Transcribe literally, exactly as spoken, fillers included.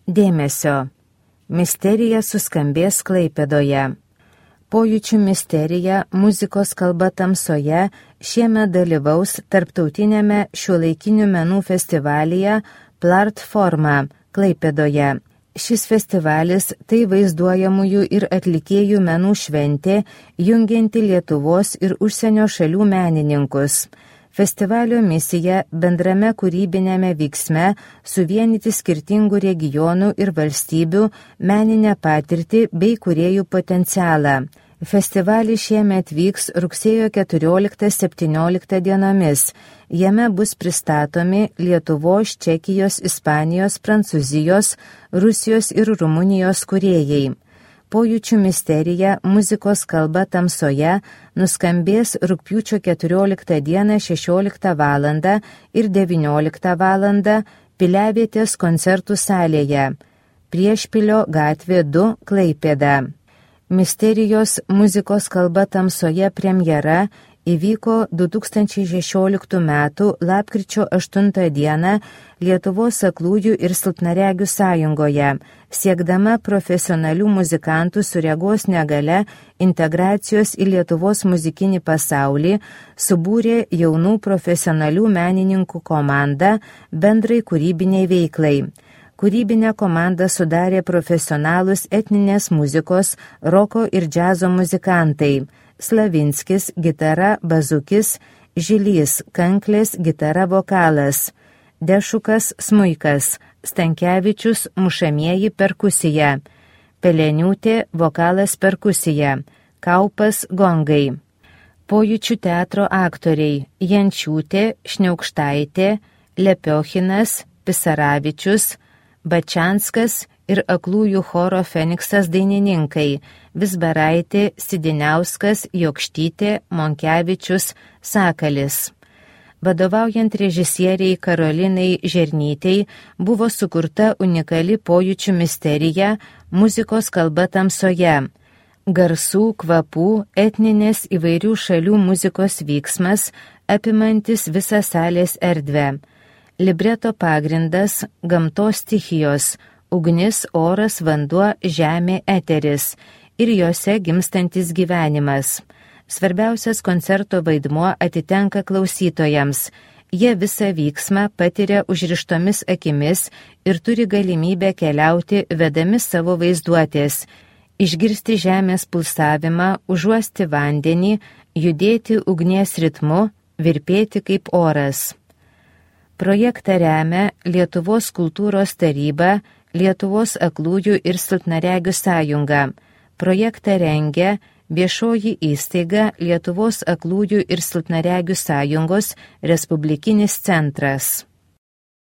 Dėmesio! Misterija suskambės Klaipėdoje. Pojūčių misterija muzikos kalba tamsoje šiemet dalyvaus tarptautinėme šiuolaikinių menų festivalyje Platforma Klaipėdoje. Šis festivalis tai vaizduojamųjų ir atlikėjų menų šventė, jungianti Lietuvos ir užsienio šalių menininkus. Festivalio misija bendrame kūrybinėme vyksme suvienyti skirtingų regionų ir valstybių meninę patirtį bei kūrėjų potencialą. Festivalis šiemet vyks rugsėjo keturioliktą septynioliktą dienomis. Jame bus pristatomi Lietuvos, Čekijos, Ispanijos, Prancūzijos, Rusijos ir Rumunijos kūrėjai. Pojūčių misterija muzikos kalba tamsoje nuskambės rugpjūčio keturioliktą dieną šešioliktą valandą ir devynioliktą valandą Piliavietės koncertų salėje, Priešpilio gatvė du, Klaipėda. Misterijos muzikos kalba tamsoje premjera įvyko du tūkstančiai šešioliktų metų lapkričio aštuntą dieną Lietuvos aklųjų ir silpnaregių sąjungoje, siekdama profesionalių muzikantų su regos negale integracijos į Lietuvos muzikinį pasaulį, subūrė jaunų profesionalių menininkų komandą bendrai kūrybiniai veiklai. Kūrybinę komandą sudarė profesionalūs etninės muzikos, roko ir džiazo muzikantai – Slavinskis, gitara, Bazukis, Žilys, kanklės, gitara, vokalas, Dešukas, smuikas, Stankevičius, mušamieji, perkusija, Peleniūtė, vokalas, perkusija, Kaupas, gongai. Pojūčių teatro aktoriai – Jančiūtė, Šniaukštaitė, Lepiochinas, Pisaravičius, Bačianskas ir aklųjų choro Feniksas dainininkai – Vizbaraitė, Sidiniauskas, Jokštytė, Monkevičius, Sakalis. Vadovaujant režisieriai Karolinai Žernytei buvo sukurta unikali pojūčių misterija muzikos kalba tamsoje. Garsų, kvapų, etninės įvairių šalių muzikos vyksmas, apimantis visą salės erdvę. Libreto pagrindas – gamtos stichijos, ugnis, oras, vanduo, žemė, eteris ir jose gimstantis gyvenimas. Svarbiausias koncerto vaidmuo atitenka klausytojams. Jie visą vyksmą patiria užrištomis akimis ir turi galimybę keliauti vedami savo vaizduotės, išgirsti žemės pulsavimą, užuosti vandenį, judėti ugnies ritmu, virpėti kaip oras. Projektą remia Lietuvos kultūros taryba, Lietuvos aklųjų ir silpnaregių sąjunga. Projektą rengia viešoji įstaiga Lietuvos aklųjų ir silpnaregių sąjungos Respublikinis centras.